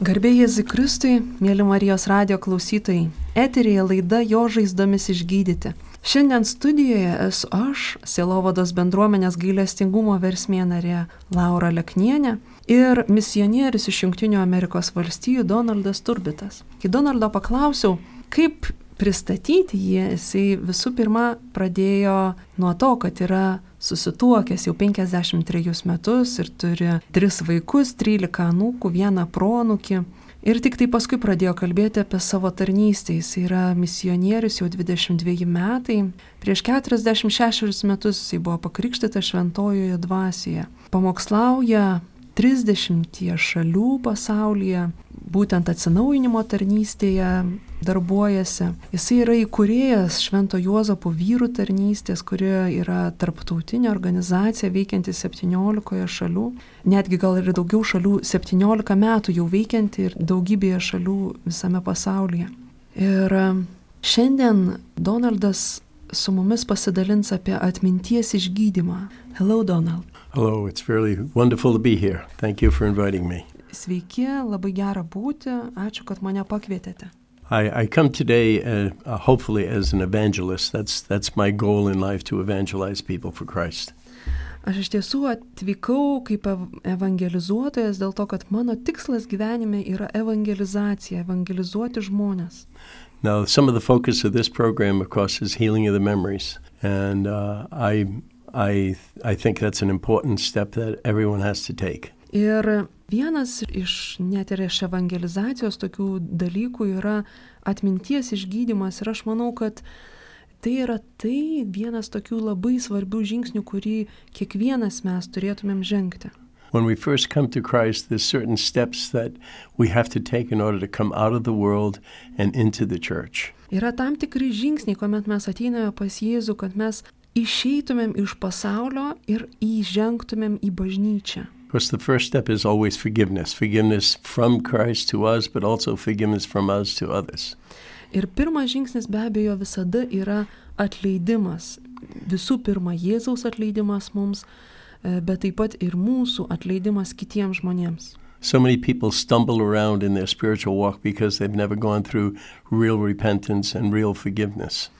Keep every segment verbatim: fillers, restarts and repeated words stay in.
Garbė Jėzui Kristui, mėly Marijos radijo klausytojai, eteryje laida Jo žaizdomis išgydyti. Šiandien studijoje esu aš, Sielovados bendruomenės gailestingumo versmė narė Laura Leknienė ir misionierius iš Jungtinių Amerikos valstijų Donaldas Turbitas. Kai Donaldo paklausiau, kaip pristatyti jį, jisai visų pirma pradėjo nuo to, kad yra susituokęs jau penkiasdešimt trejus metus ir turi tris vaikus, trylika anūkų, vieną proanūkį. Ir tik tai paskui pradėjo kalbėti apie savo tarnystę. Jis yra misionierius jau dvidešimt dveji metai. Prieš keturiasdešimt šešerius metus jis buvo pakrikštytas šventojoje dvasioje. Pamokslauja trisdešimtyje šalių pasaulyje, būtent atsinaujinimo tarnystėje darbuojasi. Jisai yra įkūrėjas Švento Juozapo vyrų tarnystės, kuri yra tarptautinė organizacija veikianti septyniolikoje šalių. Netgi gal ir daugiau šalių, septyniolika metų jau veikianti ir daugybėje šalių visame pasaulyje. Ir šiandien Donaldas su mumis pasidalins apie atminties išgydymą. Hello, Donald. Hello, it's really wonderful to be here. Thank you for inviting me. Sveiki, labai gera būti. Ačiū, kad mane pakvietėte. I, I come today uh, uh, hopefully as an evangelist. That's, that's my goal in life, to evangelize people for Christ. Aš iš tiesų atvykau kaip evangelizuotojas dėl to, kad mano tikslas gyvenime yra evangelizacija, evangelizuoti žmonės. Now, some of the focus of this program, of course, is healing of the memories. And uh, I, I, I think that's an important step that everyone has to take. Ir vienas iš net ir iš evangelizacijos tokių dalykų yra atminties išgydymas. Ir aš manau, kad tai yra tai vienas tokių labai svarbių žingsnių, kurį kiekvienas mes turėtumėm žengti. When we first come to Christ, there's certain steps that we have to take in order to come out of the world and into the church. Yra tam tikri žingsniai, kuomet mes ateiname pas Jėzų, kad mes išeitumėm iš pasaulio ir įžengtumėm į bažnyčią. Of course, the first step is always forgiveness. Forgiveness from Christ to us, but also forgiveness from us to others. Ir pirmas žingsnis be abejo visada yra atleidimas. Visų pirma, Jėzaus atleidimas mums, bet taip pat ir mūsų atleidimas kitiems žmonėms. So many people stumble around in their spiritual walk because they've never gone through real repentance and real forgiveness.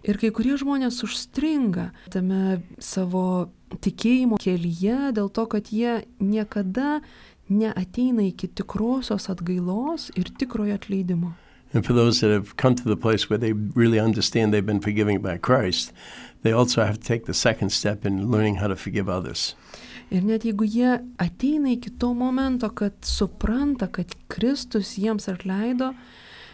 Ir kai kurie žmonės užstringa tame savo tikėjimo kelyje dėl to, kad jie niekada neateina iki tikrosios atgailos ir tikrojo atleidimo. And for those that have come to the place where they really understand they've been forgiven by Christ, they also have to take the second step in learning how to forgive others. Ir net jeigu jie ateina iki to momento, kad supranta, kad Kristus jiems atleido,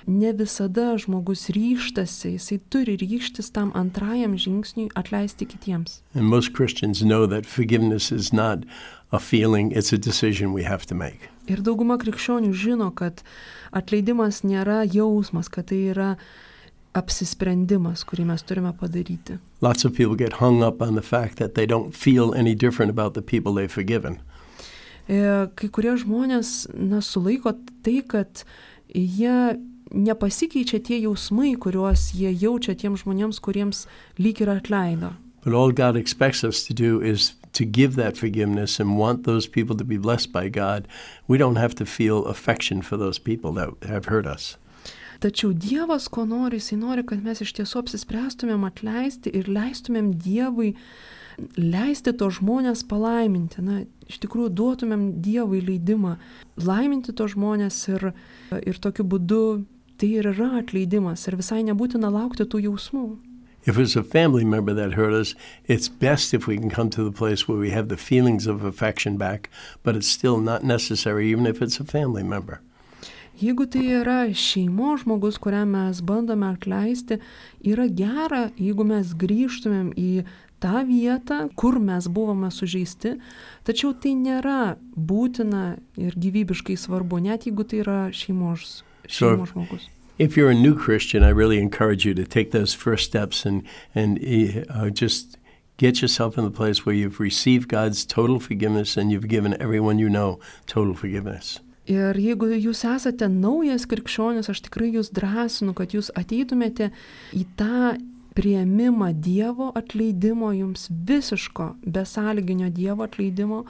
ne visada žmogus ryžtasi, jisai turi ryžtis tam antrajam žingsniui atleisti kitiems. And most Christians know that forgiveness is not a feeling, it's a decision we have to make. Ir dauguma krikščionių žino, kad atleidimas nėra jausmas, kad tai yra apsisprendimas, kurį mes turime padaryti. Lots of people get hung up on the fact that they don't feel any different about the people they've forgiven. Kai kurie žmonės na, sulaiko tai, kad jie nepasikeičia tie jausmai, kuriuos jie jaučia tiems žmonėms, kuriems lyg ir atleido. But all God expects us to do is to give that forgiveness and want those people to be blessed by God. We don't have to feel affection for those people that have hurt us. Tačiau Dievas, ko nori, jisai nori, kad mes iš tiesų apsispręstumėm atleisti ir leistumėm Dievui leisti to žmonės palaiminti. Na, iš tikrųjų duotumėm Dievui leidimą laiminti to žmonės ir, ir tokiu būdu tai ir yra atleidimas ir visai nebūtina laukti tų jausmų. If it's a family member that hurt us, it's best if we can come to the place where we have the feelings of affection back, but it's still not necessary even if it's a family member. Jeigu tai yra šeimos žmogus, kuriam mes bandome atleisti, yra gera, jeigu mes grįžtumėm į tą vietą, kur mes buvome sužeisti, tačiau tai nėra būtina ir gyvybiškai svarbu, net jeigu tai yra šeimos, šeimos so, žmogus. If you're a new Christian, I really encourage you to take those first steps and, and uh, just get yourself in the place where you've received God's total forgiveness and you've given everyone you know total forgiveness. Ir jeigu jūs esate naujas krikščionis, aš tikrai jūs drąsinu, kad jūs ateitumėte į tą priėmimą Dievo atleidimo, jums visiško besąlyginio Dievo atleidimo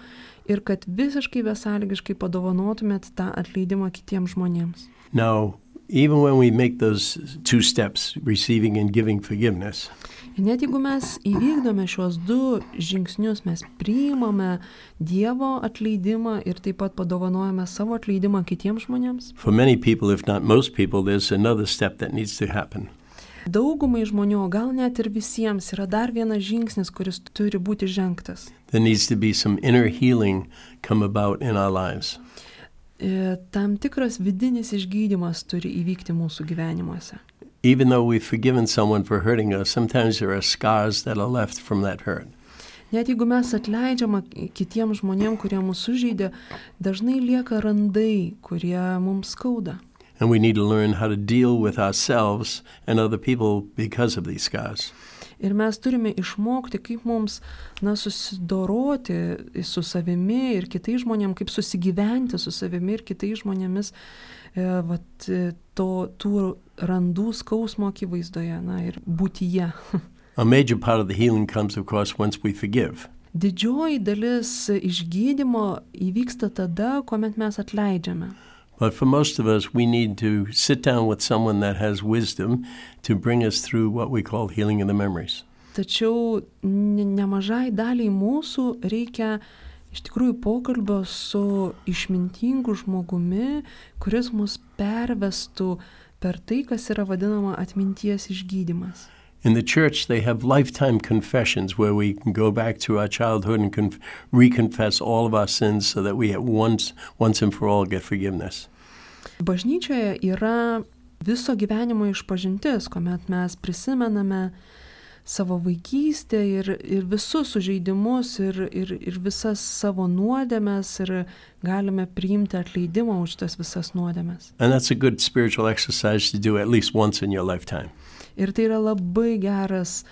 ir kad visiškai besąlygiškai padovanotumėt tą atleidimą kitiems žmonėms. Now, even when we make those two steps, receiving and giving forgiveness, Ir net jeigu mes įvykdome šios du žingsnius, mes priimame Dievo atleidimą ir taip pat padovanojame savo atleidimą kitiems žmonėms. for many people, if not most people, there's another step that needs to happen. Daugumai žmonių, o gal net ir visiems, yra dar vienas žingsnis, kuris turi būti žengtas. There needs to be some inner healing come about in our lives. E, Tam tikras vidinis išgydymas turi įvykti mūsų gyvenimuose. Even though we've forgiven someone for hurting us, sometimes there are scars that are left from that hurt. Net jeigu mes atleidžiame kitiems žmonėms, kurie mūsų sužeidė, dažnai lieka randai, kurie mums skauda. And we need to learn how to deal with ourselves and other people because of these scars. Ir mes turime išmokti, kaip mums na, susidoroti su savimi ir kitais žmonėmis, kaip susigyventi su savimi ir kitais žmonėmis e, vat, to, tų randų skausmo akivaizdoje na, ir būtyje. A major part of the healing comes, of course, once we forgive. Didžioji dalis išgydymo įvyksta tada, kuomet mes atleidžiame. But for most of us, we need to sit down with someone that has wisdom to bring us through what we call healing of the memories. Tačiau ne- nemažai daliai mūsų reikia iš tikrųjų pokalbio su išmintingu žmogumi, kuris mus pervestų per tai, kas yra vadinama atminties išgydymas. In the church, they have lifetime confessions where we can go back to our childhood and conf- reconfess all of our sins so that we at once, once and for all get forgiveness. Bažnyčioje yra viso gyvenimo išpažintis, kuomet mes prisimename savo vaikystę ir, ir visus sužeidimus ir, ir, ir visas savo nuodėmes ir galime priimti atleidimą už tas visas nuodėmes. And that's a good spiritual exercise to do at least once in your lifetime. Ir tai yra labai geras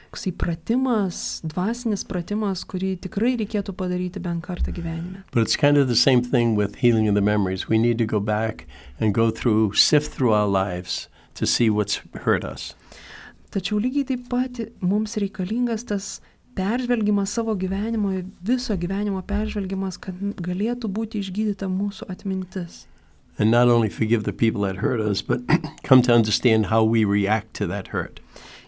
toksai pratimas, dvasinis pratimas, kurį tikrai reikėtų padaryti bent kartą gyvenime. But it's kind of the same thing with healing of the memories. We need to go back and go through, sift through our lives to see what's hurt us. Tačiau lygiai taip pat mums reikalingas tas peržvelgimas savo gyvenimo, viso gyvenimo peržvelgimas, kad galėtų būti išgydyta mūsų atmintis. And not only forgive the people that hurt us, but come to understand how we react to that hurt.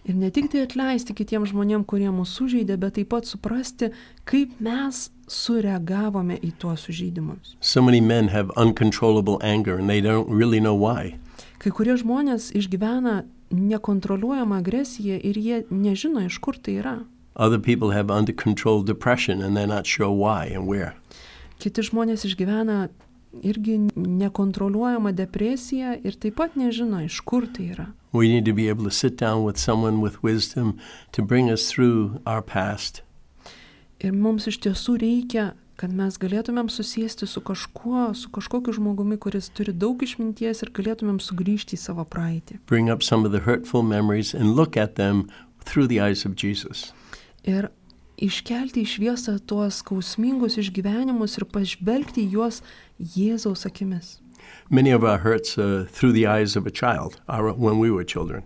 Ir ne tik tai atleisti kitiems žmonėms, kurie mūsų sužeidė, bet taip pat suprasti, kaip mes sureagavome į tuos sužeidimus. So many men have uncontrollable anger and they don't really know why. Kai kurie žmonės išgyvena nekontroliuojamą agresiją ir jie nežino, iš kur tai yra. Other people have under control depression and they're not sure why and where. Kiti žmonės išgyvena irgi nekontroliuojama depresija ir taip pat nežino, iš kur tai yra. We need to be able to sit down with someone with wisdom to bring us through our past. Ir mums iš tiesų reikia, kad mes galėtumėm susėsti su kažkuo, su kažkokiu žmogumi, kuris turi daug išminties ir galėtumėm sugrįžti į savo praeitį. Bring up some of the hurtful memories and look at them through the eyes of Jesus. Ir iškelti į šviesą tuos skausmingus išgyvenimus ir pažvelgti į juos Jėzaus akimis. Many of our hurts are through the eyes of a child, our, when we were children.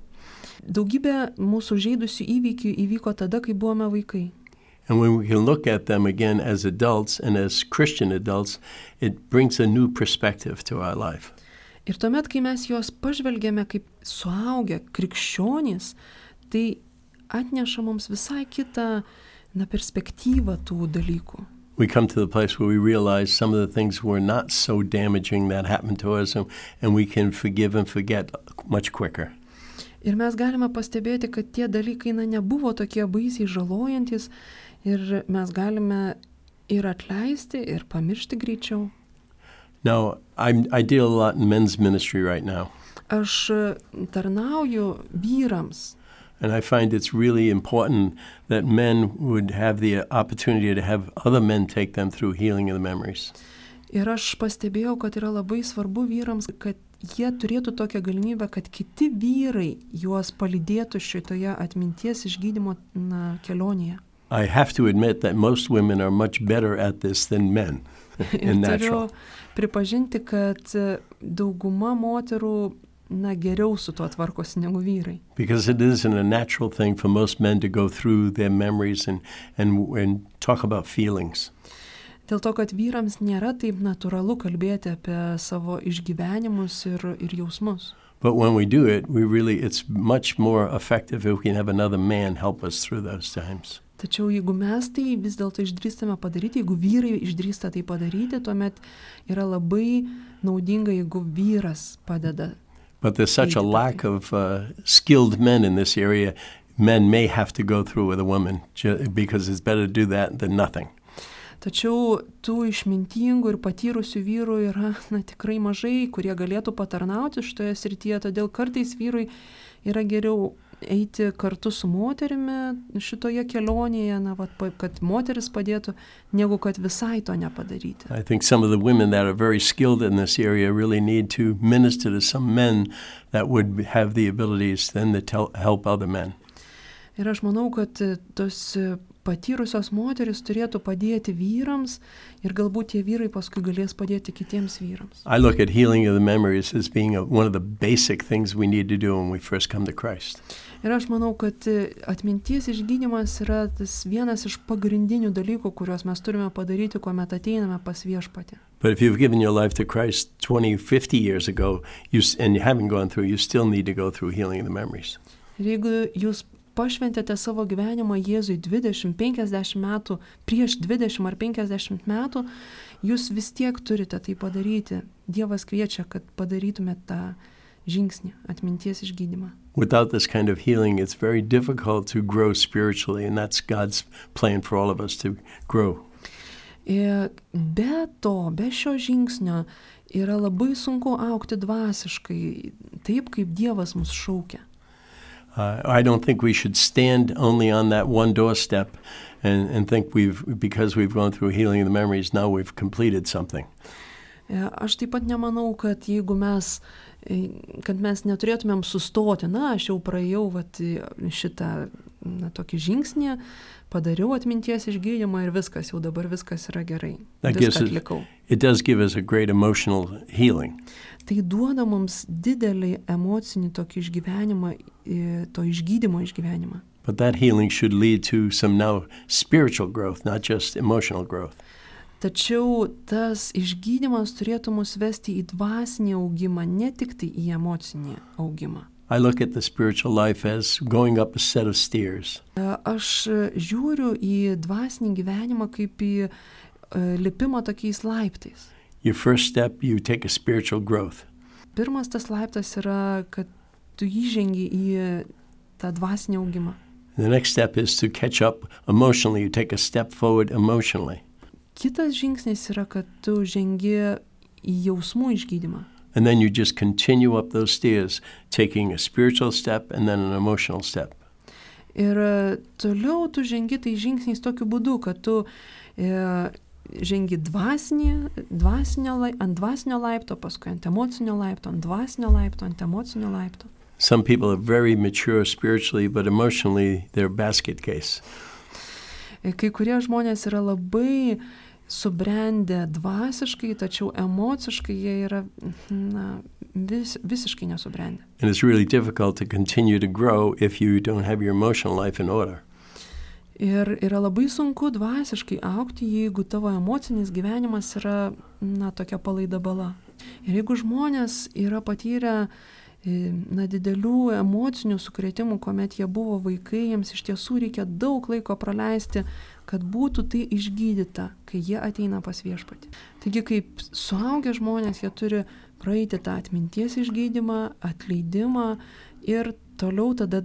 Daugybė mūsų žaidusių įvykių įvyko tada, kai buvome vaikai. And when we can look at them again as adults and as Christian adults, it brings a new perspective to our life. Ir tuomet, kai mes juos pažvelgėme kaip suaugę krikščionys, tai atneša mums visai kitą na, perspektyvą tų dalykų. We come to the place where we realize some of the things were not so damaging that happened to us, and, and we can forgive and forget much quicker. Ir mes galime pastebėti, kad tie dalykai na, nebuvo tokie baisiai žalojantis ir mes galime ir atleisti, ir pamiršti greičiau. Now, I'm, I deal a lot in men's ministry right now. Aš tarnauju vyrams. And I find it's really important that men would have the opportunity to have other men take them through healing of the memories. Ir aš pastebėjau, kad yra labai svarbu vyrams, kad jie turėtų tokią galimybę, kad kiti vyrai juos palydėtų šitoje atminties išgydymo na, kelionėje. I have to admit that most women are much better at this than men in natural. Turiu pripažinti, kad dauguma moterų na, geriau su tuo tvarkosi negu vyrai. Because it isn't a natural thing for most men to go through their memories and, and, and talk about feelings. Dėl to, kad vyrams nėra taip natūralu kalbėti apie savo išgyvenimus ir, ir jausmus. But when we do it, we really, it's much more effective if we can have another man help us through those times. Tačiau jeigu mes tai vis dėlto išdrįstame padaryti, jeigu vyrai išdrįsta tai padaryti, tuomet yra labai naudinga, jeigu vyras padeda. But there's such a lack of uh, skilled men in this area, men may have to go through with a woman ju- because it's better to do that than nothing. Tačiau tų išmintingų ir patyrusių vyrų yra na, tikrai mažai, kurie galėtų patarnauti šitoje srityje, todėl kartais vyrui yra geriau eiti kartu su moterimi šitoje kelionėje, na, vat, kad moteris padėtų, negu kad visai to nepadaryti. I think some of the women that are very skilled in this area really need to minister to some men that would have the abilities then to tell, help other men. Ir aš manau, kad tos patyrusios moteris turėtų padėti vyrams ir galbūt tie vyrai paskui galės padėti kitiems vyrams. I look at healing of the memories as being a, one of the basic things we need to do when we first come to Christ. Ir aš manau, kad atminties išgydymas yra tas vienas iš pagrindinių dalykų, kuriuos mes turime padaryti, kuomet ateiname pas Viešpatį. But if you've given your life to Christ twenty, fifty years ago you, and you haven't gone through, you still need to go through healing of the memories. Ir jeigu jūs pašventėte savo gyvenimą Jėzui dvidešimt, penkiasdešimt metų, prieš dvidešimt ar penkiasdešimt metų, jūs vis tiek turite tai padaryti. Dievas kviečia, kad padarytumėte tą žingsnį, atminties išgydymą. Without this kind of healing, it's very difficult to grow spiritually, and that's God's plan for all of us to grow. Ir be to, be šio žingsnio, yra labai sunku augti dvasiškai, taip kaip Dievas mus šaukia. Uh, I don't think we should stand only on that one doorstep and, and think we've, because we've gone through healing of the memories, now we've completed something. Aš taip pat nemanau, kad jeigu mes, kad mes neturėtumėm sustoti, na, aš jau praėjau vat, šitą na, tokį žingsnį, padariau atminties išgydymą ir viskas, jau dabar viskas yra gerai. Viską atlikau. It does give us a great emotional healing. Tai duoda mums didelį emocinį tokį išgyvenimą, to išgydymo išgyvenimą. But that healing should lead to some now spiritual growth, not just emotional growth. Tačiau tas išgydymas turėtų mus vesti į dvasinį augimą, ne tik tai į emocinį augimą. I look at the spiritual life as going up a set of stairs. Aš žiūriu į dvasinį gyvenimą kaip į lipimą tokiais laiptais. Your first step, you take a spiritual growth. Pirmas tas laiptas yra, kad tu įžengi į tą dvasinį augimą. The next step is to catch up emotionally. You take a step forward emotionally. Kitas žingsnis yra, kad tu žengi į jausmų išgydymą. And then you just continue up those stairs, taking a spiritual step and then an emotional step. Ir toliau tu žengi tai žingsniais tokiu būdu, kad tu e, žengi dvasinį, dvasinio, ant dvasinio laipto, paskui ant emocinio laipto, ant dvasinio laipto, ant emocinio laipto. Some people are very mature spiritually, but emotionally they're a basket case. Kai kurie žmonės yra labai subrendę dvasiškai, tačiau emociškai jie yra na, vis, visiškai nesubrendę. And it's really difficult to continue to grow if you don't have your emotional life in order. Ir yra labai sunku dvasiškai augti, jeigu tavo emocinis gyvenimas yra na, tokia palaida bala. Ir jeigu žmonės yra patyrę na, didelių emocinių sukrėtimų, kuomet jie buvo vaikai, jiems iš tiesų reikia daug laiko praleisti, kad būtų tai išgydyta, kai jie ateina pas Viešpatį. Taigi, kaip suaugę žmonės, jie turi praeiti tą atminties išgydymą, atleidimą ir toliau tada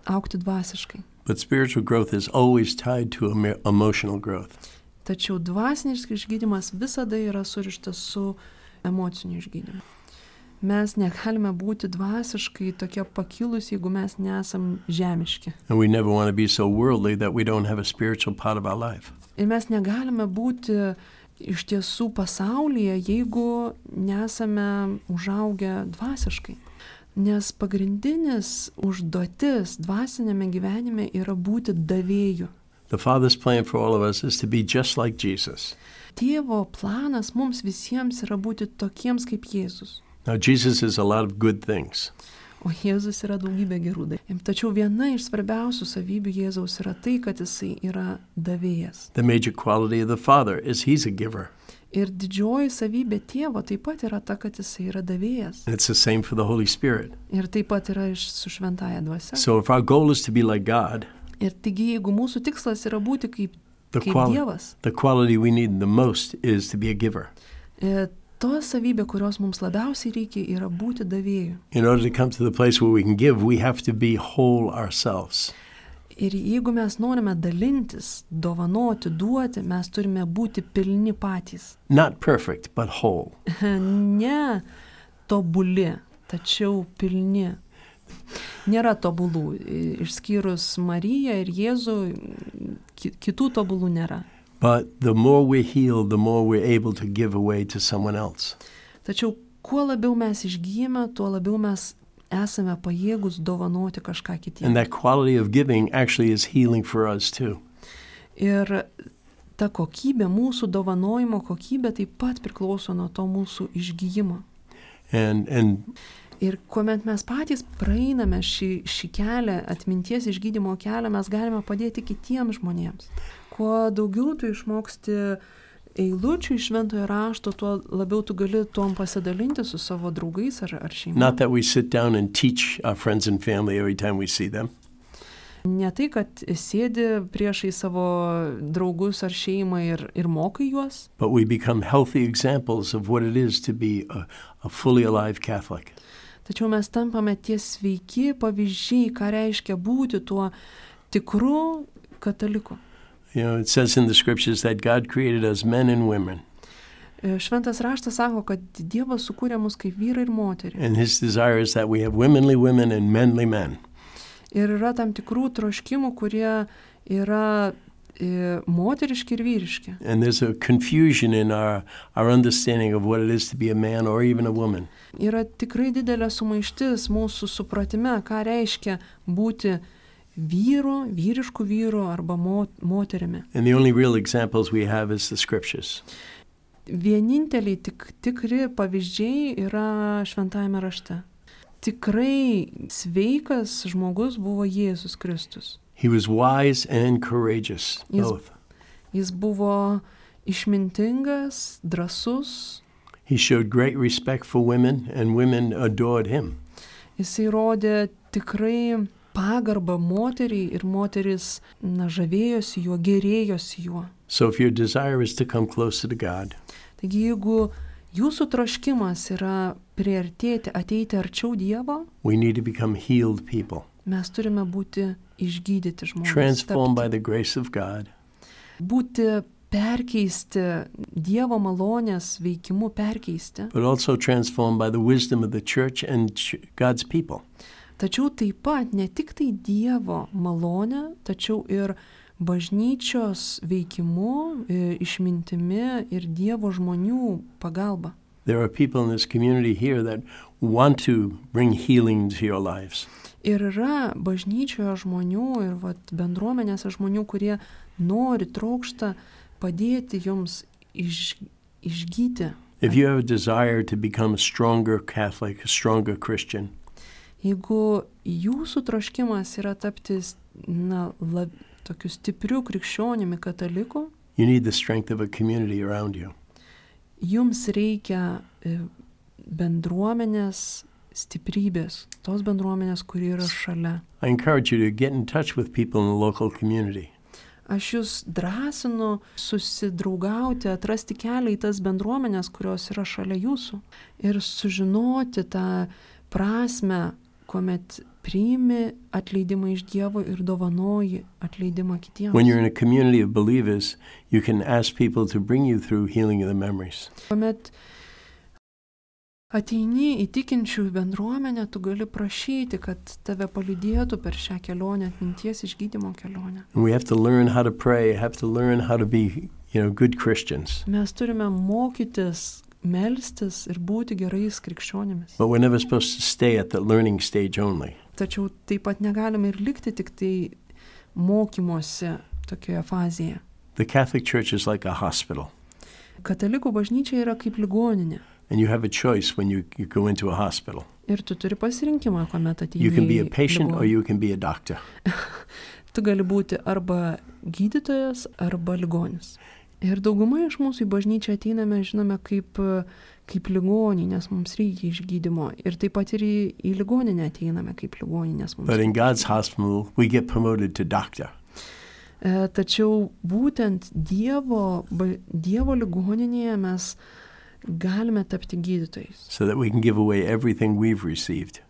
augti dvasiškai. But spiritual growth is always tied to emotional growth. Tačiau dvasinis išgydymas visada yra surištas su emociniu išgydymu. Mes negalime būti dvasiškai tokie pakilus, jeigu mes nesam žemiški. And we never want to be so worldly that we don't have a spiritual part of our life. Ir mes negalime būti iš tiesų pasaulyje, jeigu nesame užaugę dvasiškai. Nes pagrindinis užduotis dvasinėme gyvenime yra būti davėju. The Father's plan for all of us is to be just like Jesus. Tėvo planas mums visiems yra būti tokiems kaip Jėzus. Now, Jesus is a lot of good things. o Jėzus yra daugybė gerų dalykų. Tačiau viena iš svarbiausių savybių Jėzaus yra tai, kad jisai yra davėjas. The major quality of the Father is he's a giver. Ir didžioji savybė tėvo taip pat yra ta, kad jisai yra davėjas. And it's the same for the Holy Spirit. Ir taip pat yra iš su šventaja dvasia. So if our goal is to be like God, Ir taigi, jeigu mūsų tikslas yra būti kaip, the, kaip quali- Dievas, the quality we need the most is to be a giver. e, to savybė, kurios mums labiausiai reikia, yra būti davėju. In order to come to the place where we can give, we have to be whole ourselves. Ir jeigu mes norime dalintis, dovanoti, duoti, mes turime būti pilni patys. Not perfect, but whole. Ne tobuli, tačiau pilni. Nėra tobulų, išskyrus Mariją ir Jėzų, ki- kitų tobulų nėra. But the more we're healed, the more we're able to give away to someone else. Tačiau kuo labiau mes išgyjame, tuo labiau mes esame pajėgus dovanoti kažką And kitiems. that quality of giving actually is healing for us too. Ir ta kokybė, mūsų dovanojimo kokybė taip pat priklauso nuo to mūsų išgyjimo. And and Ir kuomet mes patys praeiname šį, šį kelią, atminties išgydymo kelią, mes galime padėti kitiems žmonėms. Kuo daugiau tu išmoksti eilučių iš šventojo rašto, tuo labiau tu gali tuom pasidalinti su savo draugais ar, ar šeima. not that we sit down and teach our friends and family every time we see them, Ne tai, kad sėdi priešai savo draugus ar šeimą ir, ir mokai juos, but we become healthy examples of what it is to be a, a fully alive Catholic. tačiau mes tampame tie sveiki pavyzdžiai, ką reiškia būti tuo tikru kataliku. You know, it says in the scriptures that God created us men and women, E, Šventas raštas sako, kad Dievas sukūrė mus kaip vyrai ir moterį. and his desire is that we have womanly women and manly men. Ir yra tam tikrų troškimų, kurie yra e, moteriški ir vyriški. And there's a confusion in our, our understanding of what it is to be a man or even a woman. Yra tikrai didelė sumaištis mūsų supratime, ką reiškia būti vyru, vyrišku vyru arba mo, moterimi. And the only real examples we have is the scriptures. Vieninteliai tik, tikri pavyzdžiai yra šventajame rašte. Tikrai sveikas žmogus buvo Jėzus Kristus. He was wise and courageous, Yes. both. Jis buvo išmintingas, drąsus, He showed great respect for women, and women adored him. jisai rodė tikrai pagarbą moteriai ir moteris na, žavėjosi juo, gerėjosi juo. So if your desire is to come closer to God, Taigi jeigu jūsų troškimas yra priartėti, ateiti arčiau Dievo, we need to become healed people, mes turime būti išgydyti žmonės. transformed by tapti- the grace of God, Būti perkeisti, Dievo malonės veikimu perkeisti. but also transformed by the wisdom of the church and ch- God's people. Tačiau taip pat ne tik tai Dievo malonė, tačiau ir bažnyčios veikimu, e, išmintimi ir Dievo žmonių pagalba. There are people in this community here that want to bring healing to your lives. Ir yra bažnyčioje žmonių ir vat, bendruomenėse žmonių, kurie nori, trokšta padėti jums iš, išgyti. If you have a desire to become a stronger Catholic, a stronger Christian, Jeigu jūsų troškimas yra tapti na, lab, tokiu stipriu krikščionimi kataliku, you need the strength of a community around you. jums reikia e, bendruomenės stiprybės, tos bendruomenės, kuri yra šalia. I encourage you to get in touch with people in the local community. Aš jūs drąsinu susidraugauti, atrasti kelią į tas bendruomenės, kurios yra šalia jūsų ir sužinoti tą prasme, kuomet priimi atleidimą iš Dievo ir dovanoji atleidimą kitiems. When you're in a community of believers, you can ask people to bring you through healing of the memories. Kuomet ateini į tikinčiųjų bendruomenę, tu gali prašyti, kad tave palydėtų per šią kelionę, atminties išgydymo kelionę. And we have to learn how to pray, have to learn how to be, you know, good Christians. Mes turime mokytis, melstis ir būti gerais krikščionimis. But we're never supposed to stay at the learning stage only. Tačiau taip pat negalime ir likti tik tai mokymuose tokioje fazėje. The Catholic Church is like a hospital. Katalikų bažnyčia yra kaip ligoninė. And you have a choice when you, you go into a hospital. Ir tu turi pasirinkimą, kuomet ateini. You can be a į patient or ligoninę. you can be a doctor. Tu gali būti arba gydytojas, arba ligonis. Ir dauguma iš mūsų į bažnyčią ateiname, žinome, kaip, kaip ligonį, nes mums reikia išgydymo. Ir taip pat ir į, į ligoninę ateiname kaip ligonį, nes mums But in God's hospital, we get promoted to doctor. E, tačiau būtent Dievo, ba, Dievo ligoninėje mes galime tapti gydytojais. So that we can give away everything we've received.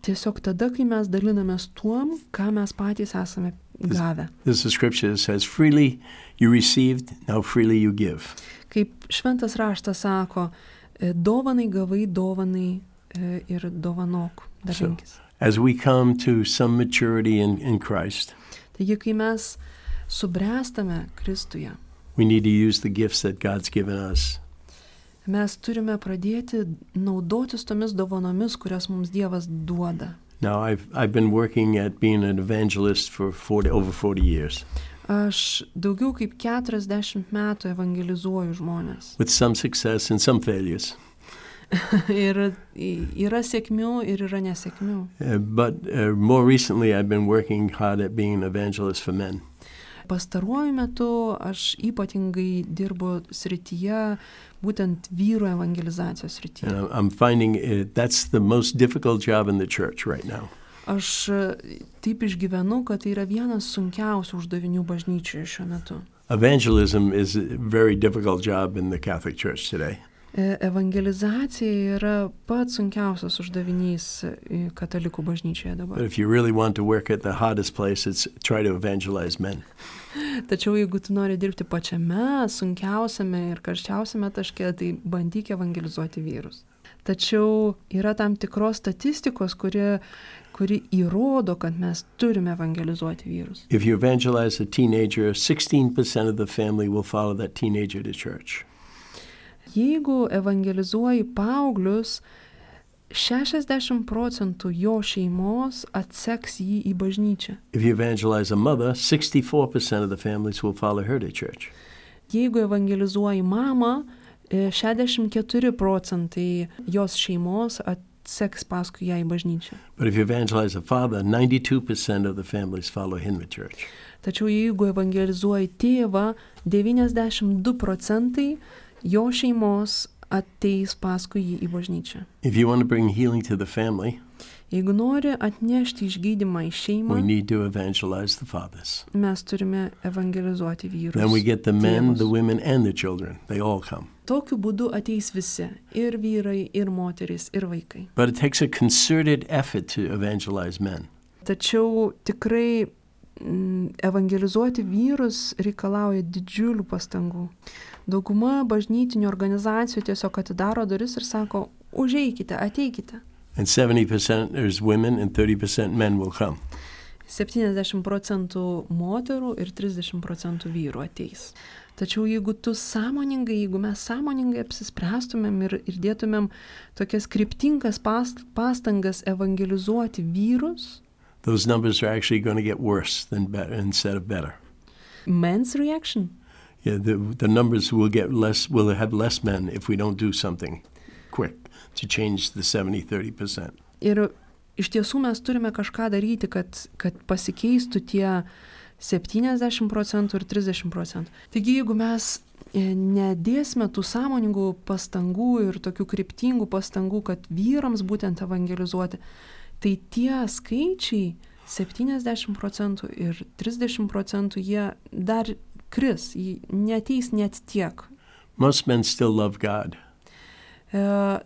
Tiesiog tada, kai mes dalinamės tuom, ką mes patys esame gavę. This is a scripture that says, freely you received, now freely you give. Kaip šventas raštas sako, e, dovanai gavai, dovanai e, ir dovanok, dalinkis. As we come to some maturity in, in Christ, Taigi, kai mes subręstame Kristuje, we need to use the gifts that God's given us. mes turime pradėti naudotis tomis dovanomis, kurias mums Dievas duoda. Now, I've, I've been working at being an evangelist for forty, over forty years, Aš daugiau kaip keturiasdešimt metų evangelizuoju žmonės. with some success and some failures. Ir yra sėkmių ir yra nesėkmių. Uh, but uh, more recently, I've been working hard at being an evangelist for men. Pastaruoju metu aš ypatingai dirbu srityje, būtent vyrų evangelizacijos srityje. And I'm- I'm finding it, that's the most difficult job in the church right now. Aš e, taip išgyvenu, kad tai yra vienas sunkiausių uždavinių bažnyčioje šiuo metu. Evangelism is a very difficult job in the Catholic Church today. E, Evangelizacija yra pats sunkiausias uždavinys e, katalikų bažnyčioje dabar. But if you really want to work at the hardest place, it's try to evangelize men. Tačiau jeigu tu nori dirbti pačiame sunkiausiame ir karščiausiame taške, tai bandyk evangelizuoti vyrus. Tačiau yra tam tikros statistikos, kuri, kuri įrodo, kad mes turime evangelizuoti vyrus. If you evangelize a teenager, sixteen percent of the family will follow that teenager to church. Jeigu evangelizuoji paauglius, šešiasdešimt procentų jo šeimos atseks jį į bažnyčią. If you evangelize a mother, sixty-four percent of the families will follow her to church. Jeigu evangelizuoji mamą, e, šešiasdešimt keturi procentai jos šeimos atseks paskui ją į bažnyčią. But if you evangelize a father, ninety-two percent of the families follow him to church. Tačiau jeigu evangelizuoji tėvą, devyniasdešimt du procentai jo šeimos ateis paskui jį į bažnyčią. If you want to bring healing to the family, Jeigu nori atnešti išgydymą į šeimą, we need to evangelize the fathers. mes turime evangelizuoti vyrus. Then we get the men, tėvus. the women, and the children. They all come. Tokiu būdu ateis visi, ir vyrai, ir moterys, ir vaikai. But it takes a concerted effort to evangelize men. Tačiau tikrai mm, evangelizuoti vyrus reikalauja didžiulių pastangų. Dauguma bažnytinių organizacijų tiesiog atidaro duris ir sako, užeikite, ateikite. And seventy percent there's women and thirty percent men will come. septyniasdešimt procentų moterų ir trisdešimt procentų vyrų ateis. Tačiau jeigu tu sąmoningai, jeigu mes sąmoningai apsispręstumėm ir, ir dėtumėm tokias kryptingas past, pastangas evangelizuoti vyrus, Those numbers are actually going to get worse than better instead of better. men's reaction. Yeah, the, the numbers will get less, will have less men if we don't do something quick to change the seventy thirty percent. Ir iš tiesų mes turime kažką daryti, kad, kad pasikeistų tie septyniasdešimt procentų ir trisdešimt procentų. Taigi, jeigu mes e, nedėsime tų sąmoningų pastangų ir tokių kryptingų pastangų, kad vyrams būtent evangelizuoti, tai tie skaičiai septyniasdešimt procentų ir trisdešimt procentų jie dar kris, jie neateis net tiek. Most men still love God. E,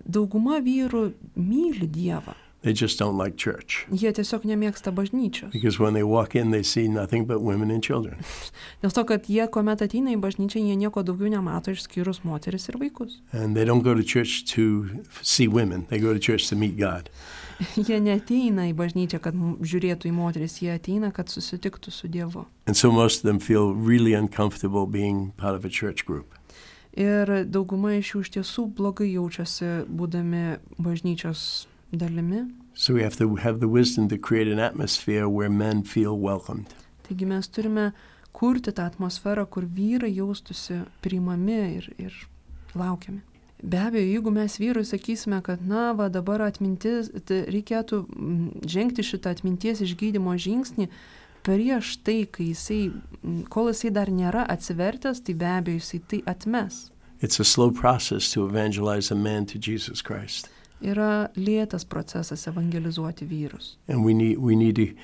dauguma vyrų myli Dievą. They just don't like church. Jie tiesiog nemėgsta bažnyčios. Because when they walk in, they see nothing but women and children. Dėl to, kad jie, kuomet ateina į bažnyčią, jie nieko daugiau nemato išskyrus moteris ir vaikus. And they don't go to church to see women. They go to church to meet God. Jie neateina į bažnyčią, kad m- žiūrėtų į moteris, jie ateina, kad susitiktų su Dievu. And so most of them feel really uncomfortable being part of a church group. Ir dauguma iš jų iš tiesų blogai jaučiasi būdami bažnyčios dalimi. So we have to have the wisdom to create an atmosphere where men feel welcomed. Taigi mes turime kurti tą atmosferą, kur vyrai jaustųsi priimami ir, ir laukiami. Be abejo, jeigu mes vyrui sakysime, kad na, va dabar atmintis, reikėtų žengti šitą atminties išgydymo žingsnį, prieš tai, kai jisai, kol jisai dar nėra atsivertęs, tai be abejo jisai tai atmes. It's a slow process to evangelize a man to Jesus Christ. Yra lėtas procesas evangelizuoti vyrus. And we need, we need to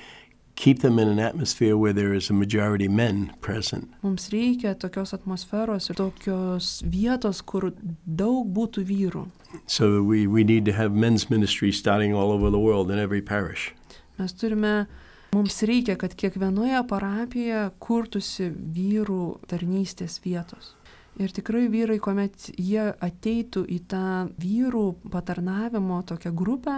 keep them in an atmosphere where there is a majority men present. Mums reikia tokios atmosferos ir tokios vietos, kur daug būtų vyrų. So we, we need to have men's ministry starting all over the world in every parish. Mes turime, mums reikia, kad kiekvienoje parapijoje kurtųsi vyrų tarnystės vietos. Ir tikrai vyrai, kuomet jie ateitų į tą vyrų patarnavimo tokią grupę,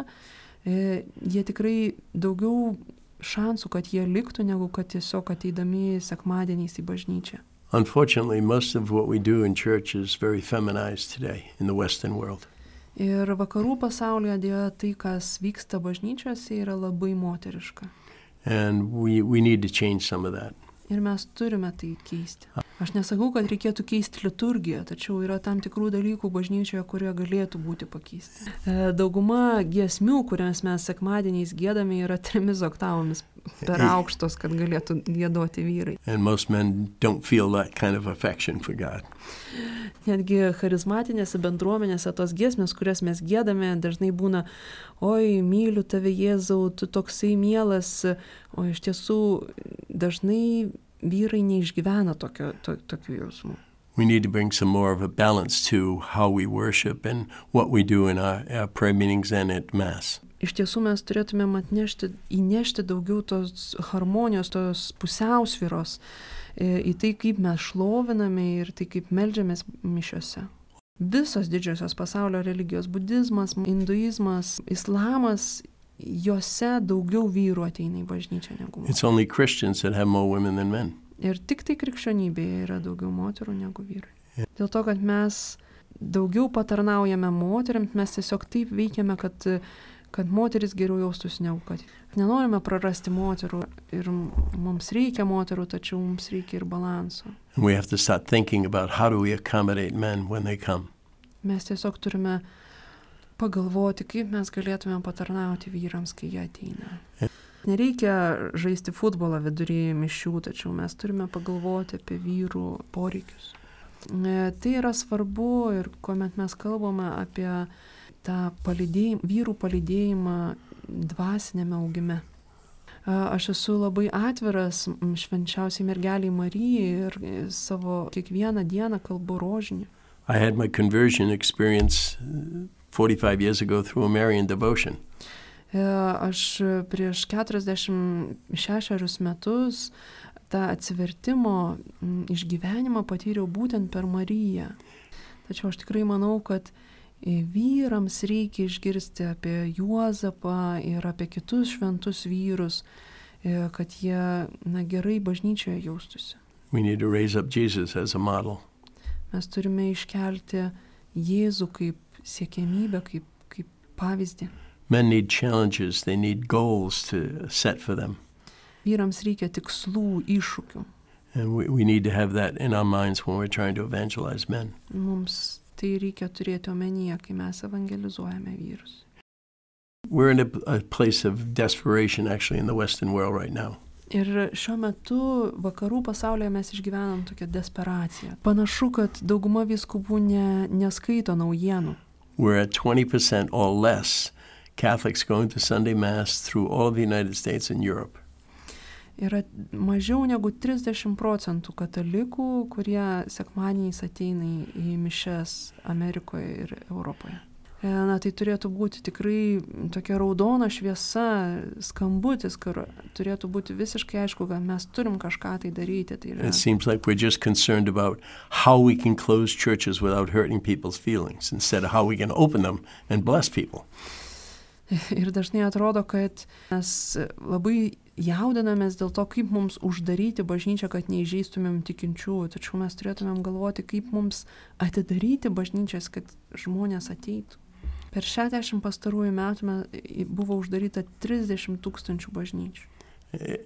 jie tikrai daugiau šansų, kad jie liktų, negu kad tiesiog ateidami sekmadieniais į bažnyčią. Unfortunately, most of what we do in church is very feminized today in the Western world. Ir vakarų pasaulyje dėja tai, kas vyksta bažnyčiose, yra labai moteriška. And we, we need to change some of that. Ir mes turime tai keisti. Aš nesakau, kad reikėtų keisti liturgiją, tačiau yra tam tikrų dalykų bažnyčioje, kurie galėtų būti pakeisti. Dauguma giesmių, kurias mes sekmadieniais giedame, yra trimis oktavomis per aukštos, kad galėtų giedoti vyrai. And most men don't feel that kind of affection for God. Netgi charizmatinėse bendruomenėse tos giesmės, kurias mes giedame, dažnai būna, oi, myliu tave Jėzau, tu toksai mielas, o iš tiesų dažnai vyrai neišgyvena tokio, to, tokių jausmų. We need to bring some more of a balance to how we worship and what we do in our, our prayer meetings and at Mass. Iš tiesų mes turėtumėm atnešti, įnešti daugiau tos harmonijos, tos pusiausvyros į tai, kaip mes šloviname ir tai, kaip meldžiamės mišiose. Visos didžiosios pasaulio religijos, budizmas, hinduizmas, islamas, jose daugiau vyrų ateina į bažnyčią negu moterų. It's only Christians that have more women than men. Ir tik tai krikščionybėje yra daugiau moterų negu vyrai. Yeah. Dėl to, kad mes daugiau patarnaujame moteriams, mes tiesiog taip veikiame, kad, kad moteris geriau jaustųsi negu kad. Nenorime prarasti moterų ir mums reikia moterų, tačiau mums reikia ir balanso. And we have to start thinking about how do we accommodate men when they come. Mes tiesiog turime pagalvoti, kaip mes galėtume patarnauti vyrams, kai jie ateina. Yeah. Nereikia žaisti futbolą vidury mišių, tačiau mes turime pagalvoti apie vyrų poreikius. Tai yra svarbu ir kuomet mes kalbame apie tą palydėjimą, vyrų palydėjimą dvasinėme augime. Aš esu labai atviras švenčiausiai mergeliai Marijai ir savo kiekvieną dieną kalbu rožinį. I had my conversion experience forty-five years ago through a Marian devotion. Aš prieš keturiasdešimt šešerius metus tą atsivertimo išgyvenimą patyriau būtent per Mariją. Tačiau aš tikrai manau, kad vyrams reikia išgirsti apie Juozapą ir apie kitus šventus vyrus, kad jie na, gerai bažnyčioje jaustųsi. We need to raise up Jesus as a model. Mes turime iškelti Jėzų kaip siekiamybę, kaip, kaip pavyzdį. Men need challenges, they need goals to set for them. Vyrams reikia tikslų, iššūkių. And we, we need to have that in our minds when we're trying to evangelize men. Mums tai reikia turėti omenyje, kai mes evangelizuojame vyrus. We're in a, a place of desperation actually in the Western world right now. Ir šiuo metu vakarų pasaulyje mes išgyvenam tokią desperaciją. Panašu, kad dauguma vyskupų ne, neskaito naujienų. We're at twenty percent or less Catholics going to Sunday Mass through all of the United States and Europe. Yra mažiau negu trisdešimt procentų katalikų, kurie sekmadieniais ateina į mišias Amerikoje ir Europoje. Na, tai turėtų būti tikrai tokia raudona šviesa, skambutis, kur turėtų būti visiškai aišku, kad mes turim kažką tai daryti. Tai yra... It seems like we're just concerned about how we can close churches without hurting people's feelings instead of how we can open them and bless people. Ir dažnai atrodo, kad mes labai jaudinamės dėl to, kaip mums uždaryti bažnyčią, kad neįžeistumėm tikinčiųjų. Tačiau mes turėtumėm galvoti, kaip mums atidaryti bažnyčias, kad žmonės ateitų. Per šešiasdešimt pastarųjų metų buvo uždaryta trisdešimt tūkstančių bažnyčių.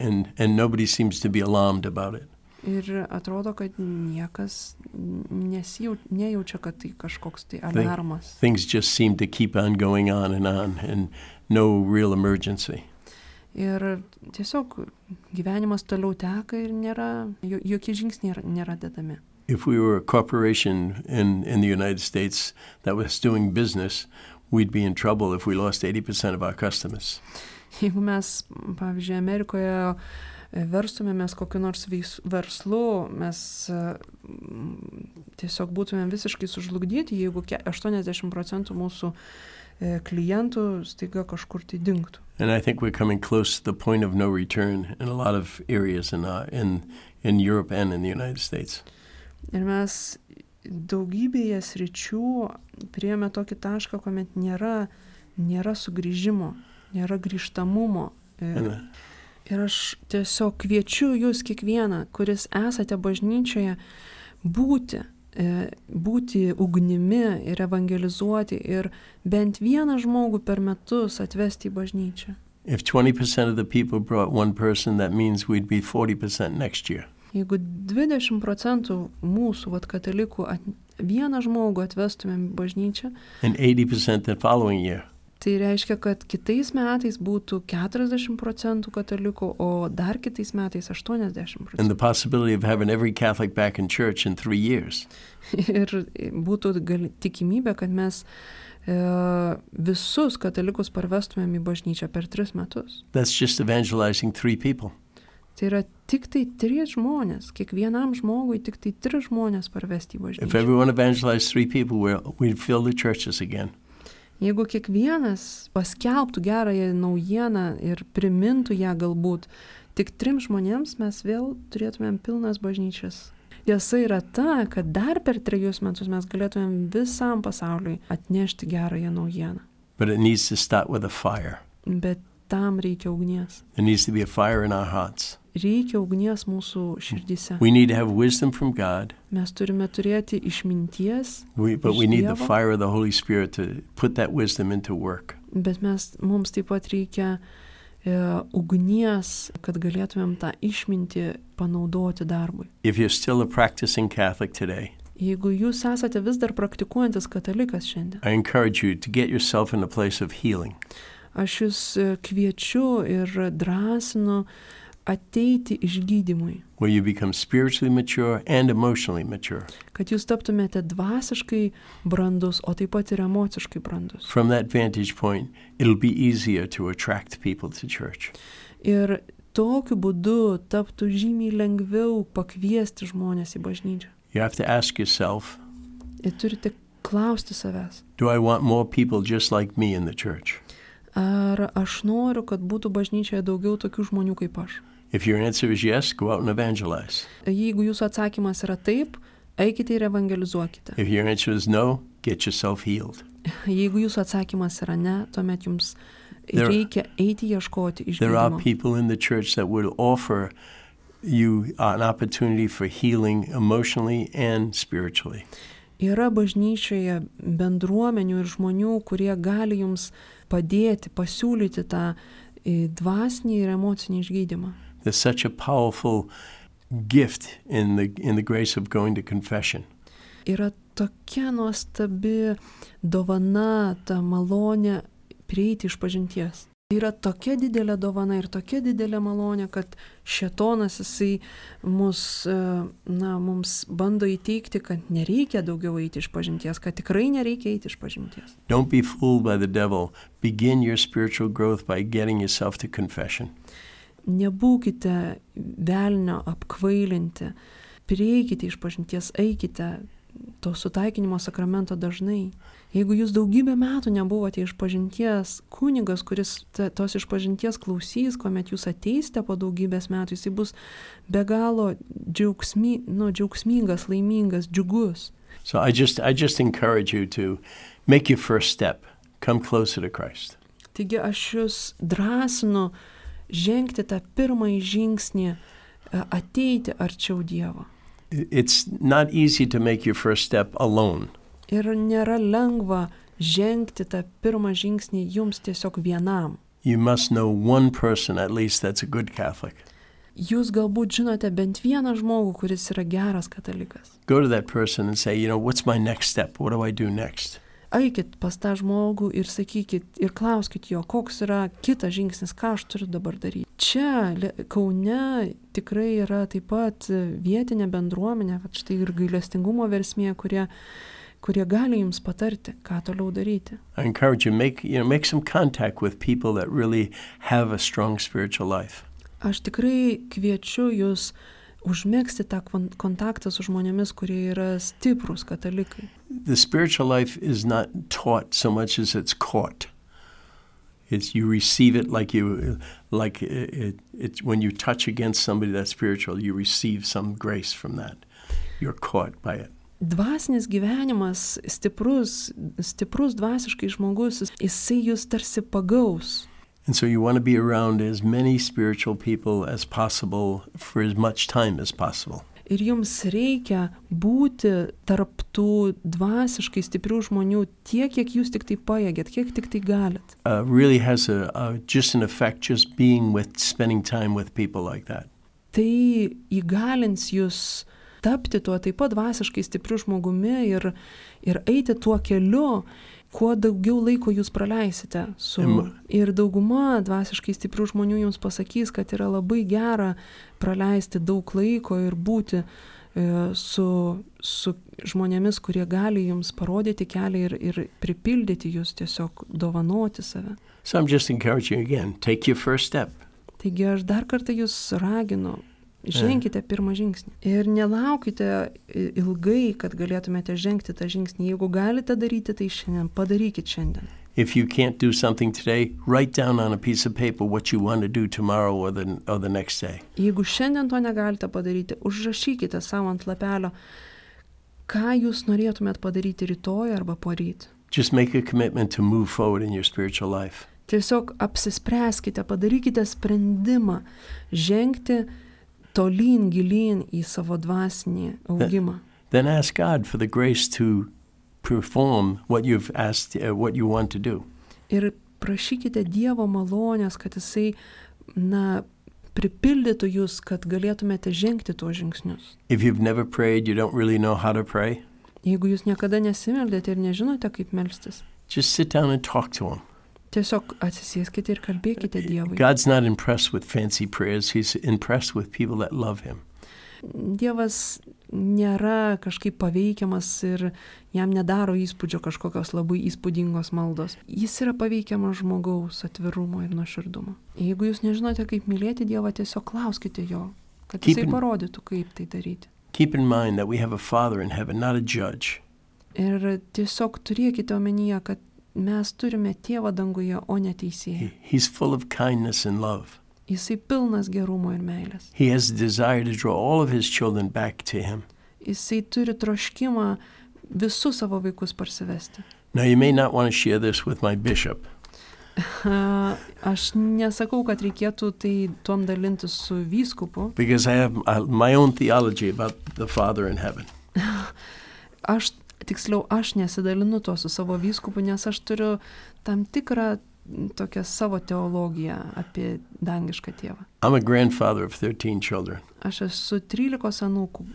And, and nobody seems to be alarmed about it. Ir atrodo, kad niekas nesijau, nejaučia, kad tai kažkoks tai alarmas. Things just seem to keep on going on and on and no real emergency. Ir tiesiog gyvenimas toliau teka ir nėra, jokie žingsniai nėra dedami. If we were a corporation in, in the United States that was doing business, we'd be in trouble if we lost eighty percent of our customers. Jeigu mes, pavyzdžiui, Amerikoje verstumėmės kokiu nors verslu, mes tiesiog būtumėm visiškai sužlugdyti, jeigu aštuoniasdešimt procentų mūsų klientų staiga kažkur tai dingtų. And I think we're coming close to the point of no return in a lot of areas in, uh, in, in Europe and in the United States. Ir mes daugybėje sričių priėjome tokį tašką, kuomet nėra, nėra sugrįžimo, nėra grįžtamumo. Ir, ir aš tiesiog kviečiu jūs kiekvieną, kuris esate bažnyčioje, būti, būti ugnimi ir evangelizuoti ir bent vieną žmogų per metus atvesti į bažnyčią. If twenty percent of the people brought one person, that means we'd be forty percent next year. Jeigu dvidešimt procentų mūsų vat, katalikų at, vieną žmogų atvestumėm į bažnyčią, and eighty percent the following year. Tai reiškia, kad kitais metais būtų keturiasdešimt procentų katalikų, o dar kitais metais aštuoniasdešimt procentų. And the possibility of having every Catholic back in church in three years. Ir būtų gali, tikimybė, kad mes e, visus katalikus parvestumėm į bažnyčią per tris metus. That's just evangelizing three people. Tai yra tik tai trys žmonės, kiekvienam žmogui tik tai tris žmonės parvesti į bažnyčią. If everyone evangelized three people, we'd fill the churches again. Jeigu kiekvienas paskelbtų gerąją naujieną ir primintų ją galbūt tik trim žmonėms, mes vėl turėtumėm pilnas bažnyčias. Tiesa yra ta, kad dar per trejus metus mes galėtumėm visam pasauliui atnešti gerąją naujieną. But it needs to start with a fire. Bet tam reikia ugnies. There needs to be a fire in our hearts. Reikia ugnies mūsų širdyse. We need to have wisdom from God. Mes turime turėti išminties. We, but we need the fire of the Holy Spirit to put that wisdom into work. Bet mes, mums taip pat reikia e, ugnies, kad galėtumėm tą išmintį panaudoti darbui. If you're still a practicing Catholic today, jeigu jūs esate vis dar praktikuojantis katalikas šiandien, I encourage you to get yourself in a place of healing. Aš jūs kviečiu ir drąsinu ateiti išgydymui. Where you become spiritually mature and emotionally mature. Kad jūs taptumėte dvasiškai brandus, o taip pat ir emociškai brandus. From that vantage point, it'll be easier to attract people to church. Ir tokiu būdu taptų žymiai lengviau pakviesti žmonės į bažnyčią. You have to ask yourself, ir turite klausti savęs. Do I want more people just like me in the church? Ar aš noriu, kad būtų bažnyčioje daugiau tokių žmonių kaip aš? If your answer is yes, go out and evangelize. Jeigu jūsų atsakymas yra taip, eikite ir evangelizuokite. If your answer is no, get yourself healed. Jeigu jūsų atsakymas yra ne, tuomet jums reikia eiti ieškoti išgydymo. There are people in the church that will offer you an opportunity for healing emotionally and spiritually. Yra bažnyčioje bendruomenių ir žmonių, kurie gali jums padėti, pasiūlyti tą dvasinį ir emocinį išgydymą. There's such a powerful gift in the in the grace of going to confession. Yra tokia nuostabi dovana, ta malonė prieiti išpažinties. Yra tokia didelė dovana ir tokia didelė malonė, kad šėtonas jisai mus, na, mums bando įteikti, kad nereikia daugiau eiti išpažinties, kad tikrai nereikia eiti išpažinties. Don't be fooled by the devil. Begin your spiritual growth by getting yourself to confession. Nebūkite velnio apkvailinti. Prieikite išpažinties, eikite to sutaikinimo sakramento dažnai. Jeigu jūs daugybę metų nebuvote išpažinties, kunigas, kuris tos išpažinties klausys, kuomet jūs ateisite po daugybės metų, jis bus be galo džiaugsmy, nu, džiaugsmingas, laimingas, džiugus. So I just, I just encourage you to make your first step. Come closer to Christ. Taigi aš jūs drąsinu žengti tą pirmąjį žingsnį, ateiti arčiau Dievo. It's not easy to make your first step alone. Ir nėra lengva žengti tą pirmą žingsnį jums tiesiog vienam. You must know one person at least that's a good Catholic. Jūs galbūt žinote bent vieną žmogų, kuris yra geras katalikas. Go to that person and say, you know, what's my next step? What do I do next? Eikit pas tą žmogų ir sakykit ir klauskit jo, koks yra kitas žingsnis, ką aš turiu dabar daryti. Čia Kaune tikrai yra taip pat vietinė bendruomenė, va štai ir gailestingumo versmė, kurie, kurie gali jums patarti, ką toliau daryti. I encourage you, make, you know, make some contact with people that really have a strong spiritual life. Aš tikrai kviečiu jūs užmegzti tą kontaktą su žmonėmis, kurie yra stiprūs katalikai. The spiritual life is not taught so much as it's caught. It's you receive it like you like it, it, it when you touch against somebody that's spiritual, you receive some grace from that. You're caught by it. Dvasinis gyvenimas, stiprus, stiprus dvasiškai žmogus, jisai jūs tarsi pagaus. And so you want to be around as many spiritual people as possible for as much time as possible. Ir jums reikia būti tarp tų dvasiškai stiprių žmonių tiek, kiek jūs tik tai pajėgėt, kiek tik tai galit. Uh, really has a, a just an effect just being with, spending time with people like that. Tai įgalins jūs tapti tuo taip pat dvasiškai stipriu žmogumi ir, ir eiti tuo keliu, kuo daugiau laiko jūs praleisite su. Ir dauguma dvasiškai stiprių žmonių jums pasakys, kad yra labai gera praleisti daug laiko ir būti e, su, su žmonėmis, kurie gali jums parodyti kelią ir, ir pripildyti jūs, tiesiog dovanoti save. So I'm just encouraging you again, take your first step. Taigi aš dar kartą jūs raginu, ženkite pirmą žingsnį. Ir nelaukite ilgai, kad galėtumėte žengti tą žingsnį. Jeigu galite daryti, tai šiandien, padarykit šiandien. If you can't do something today, write down on a piece of paper what you want to do tomorrow or the, or the next day. Jeigu šiandien to negalite padaryti, užrašykite savo ant lapelio, ką jūs norėtumėt padaryti rytoj arba poryt. Just make a commitment to move forward in your spiritual life. Tiesiog apsispręskite, padarykite sprendimą žengti tolyn, gilyn į savo dvasinį augimą. Then ask God for the grace to perform what you've asked, uh, what you want to do. Ir prašykite Dievo malonės, kad jisai, na, pripildytų jūs, kad galėtumėte žengti tuos žingsnius. If you've never prayed, you don't really know how to pray. Jeigu jūs niekada nesimeldėte ir nežinote, kaip melstis, just sit down and talk to him. Tiesiog atsisėskite ir kalbėkite Dievui. God's not impressed with fancy prayers. He's impressed with people that love him. Dievas nėra kažkaip paveikiamas ir jam nedaro įspūdžio kažkokios labai įspūdingos maldos. Jis yra paveikiamas žmogaus atvirumo ir nuoširdumo. Jeigu jūs nežinote, kaip mylėti Dievą, tiesiog klauskite jo, kad jisai parodytų, kaip tai daryti. Keep in mind that we have a Father in heaven, not a judge. Ir tiesiog turėkite omenyje, kad mes turime Tėvą danguje, o ne teisėją. He's full of kindness and love. Jisai pilnas gerumo ir meilės. He has a desire to draw all of his children back to him. Jisai turi troškimą visus savo vaikus parsivesti. Now you may not want to share this with my bishop. Aš nesakau, kad reikėtų tai tuom dalintis su vyskupu. Because I have my own theology about the Father in heaven. Aš Tiksliau, aš nesidalinu to su savo vyskupu, nes aš turiu tam tikrą tokią savo teologiją apie dangišką tėvą. I'm a grandfather of thirteen children. Aš esu trylikos anūkų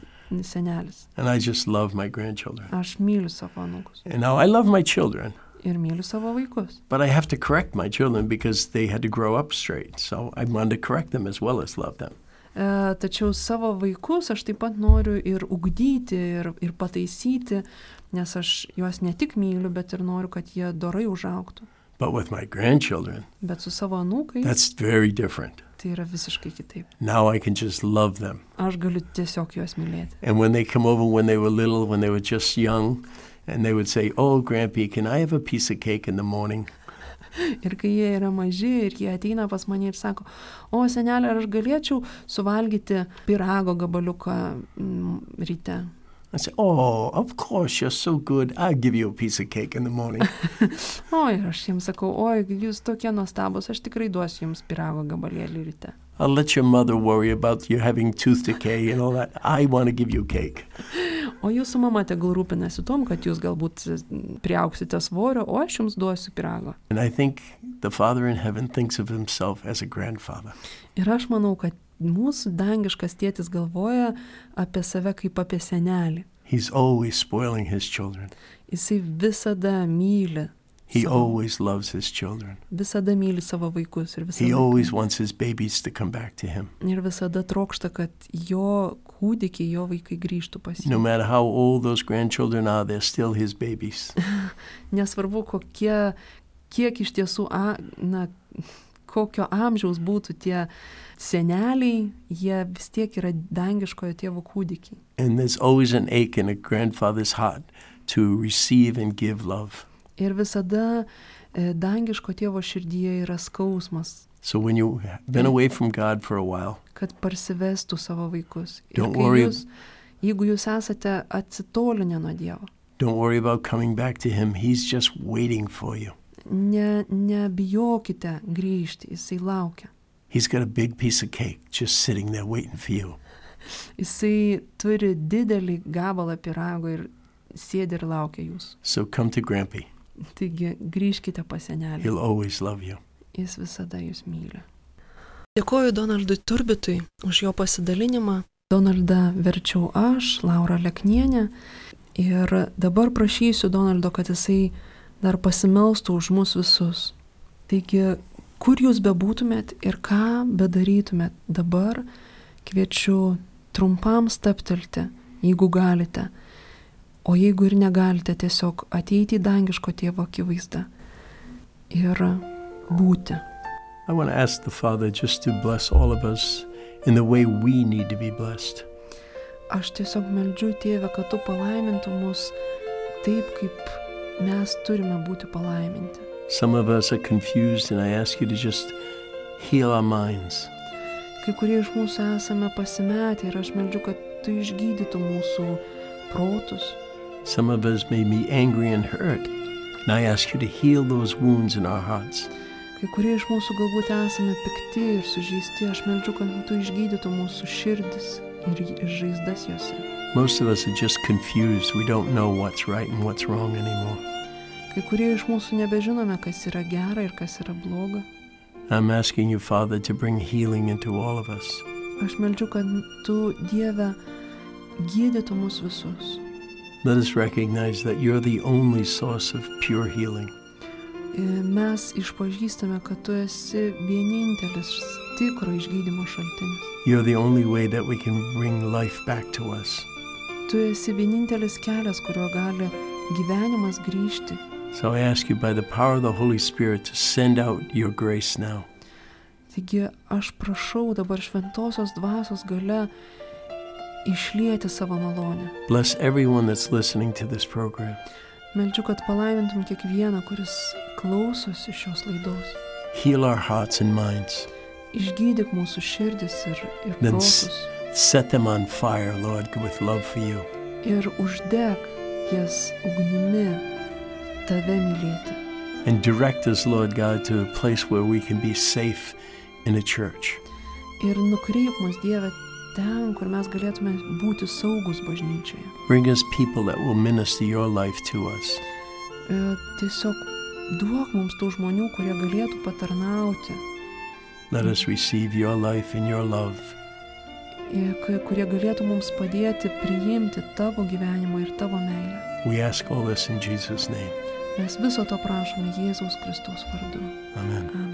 senelis. And I just love my grandchildren. Aš myliu savo anūkus. And now I love my children. Ir myliu savo vaikus. But I have to correct my children because they had to grow up straight. So I want to correct them as well as love them. E, tačiau savo vaikus aš taip pat noriu ir ugdyti, ir, ir pataisyti, nes aš juos ne tik myliu, bet ir noriu, kad jie dorai užaugtų. But with my grandchildren, bet su savo anūkais, that's very different. Tai yra visiškai kitaip. Now I can just love them. Aš galiu tiesiog juos mylėti. And when they come over when they were little, when they were just young, and they would say, "Oh, Grampy, can I have a piece of cake in the morning?" Ir kai jie yra maži ir jie ateina pas mane ir sako, o senelė, ar aš galėčiau suvalgyti pyrago gabaliuką mm, ryte? I say, oh, of course, you're so good. I'll give you a piece of cake in the morning. O, ir aš jiems sakau, oi, jūs tokie nuostabus, aš tikrai duosiu jums pyrago gabalėlį ryte. I'll let your mother worry about you having tooth decay and all that. I want to give you cake. O jūsų mama tegul rūpinasi tom, kad jūs galbūt priaugsite svorio, o aš jums duosiu pyrago. And I think the Father in heaven thinks of himself as a grandfather. Ir aš manau, kad mūsų dangiškas tėtis galvoja apie save kaip apie senelį. He's always spoiling his children. Jisai visada myli. He savo, always loves his children. Visada myli savo vaikus ir visada. He always wants his babies to come back to him. Ir visada trokšta, kad jo kūdikiai, jo vaikai grįžtų pas jį. No matter how old those grandchildren are, they're still his babies. Nesvarbu, kokie, kiek iš tiesų, a, na, kokio amžiaus būtų tie seneliai, jie vis tiek yra dangiškojo tėvo kūdikiai. And there's always an ache in a grandfather's heart to receive and give love. Ir visada e, dangiško tėvo širdyje yra skausmas. So when you've been away from God for a while, kad parsivestų savo vaikus. Ir Don't kai worry. jūs, jeigu jūs esate atsitolinę nuo Dievo, don't worry about coming back to him. He's just waiting for you. ne, nebijokite grįžti, jisai laukia. He's got a big piece of cake just sitting there waiting for you. Jisai turi didelį gabalą pyrago ir sėdi ir laukia jūs. So come to Grampy. Taigi grįžkite pas senelį. He'll always love you. Jis visada jūs myli. Dėkoju Donaldui Turbitui už jo pasidalinimą. Donaldą verčiau aš, Laura Leknienė. Ir dabar prašysiu Donaldo, kad jisai dar pasimelstų už mus visus. Taigi, kur jūs bebūtumėt ir ką bedarytumėt dabar, kviečiu trumpam staptelti, jeigu galite. O jeigu ir negalite, tiesiog ateiti į dangiško tėvo akivaizdą ir būti. I want to ask the Father just to bless all of us in the way we need to be blessed. Aš tiesiog meldžiu Tėvę, kad tu palaimintų mus taip, kaip mes turime būti palaiminti. Some of us are confused, and I ask you to just heal our minds. Kai kurie iš mūsų esame pasimetę ir aš meldžiu, kad tu išgydytų mūsų protus. Some of us may be angry and hurt, and I ask you to heal those wounds in our hearts. Kai kurie iš mūsų galbūt esame pikti ir sužeisti, aš meldžiu, kad tu išgydytų mūsų širdis ir žaizdas jose. Most of us are just confused. We don't know what's right and what's wrong anymore. Kai kurie iš mūsų nebežinome, kas yra gera ir kas yra bloga. I'm asking you, Father, to bring healing into all of us. Aš meldžiu, kad tu, Dieve, gydytų mus visus. Let us recognize that you're the only source of pure healing. Mes išpažįstame, kad tu esi vienintelis tikro išgydymo šaltinis. You're the only way that we can bring life back to us. Tu esi vienintelis kelias, kuriuo gali gyvenimas grįžti. So I ask you by the power of the Holy Spirit to send out your grace now. Taigi aš prašau dabar šventosios dvasios gale išlieti savo malonę. Bless everyone that's listening to this program. Meldžiu, kad palaimintum kiekvieną, kuris klausosi šios laidos. Heal our hearts and minds. Išgydyk mūsų širdis ir, ir Then protus. set them on fire, Lord, with love for you. Ir uždek jas ugnimi tave mylėti. And direct us, Lord God, to a place where we can be safe in a church. Ir nukreip mus, Dieve, ten, kur mes galėtume būti saugus bažnyčioje. Bring us people that will minister your life to us. E, tiesiog duok mums tų žmonių, kurie galėtų patarnauti, Let us receive your life and your love. e, k- kurie galėtų mums padėti priimti tavo gyvenimą ir tavo meilę. We ask all this in Jesus' name. Mes viso to prašome Jėzaus Kristaus vardu. Amen. Amen.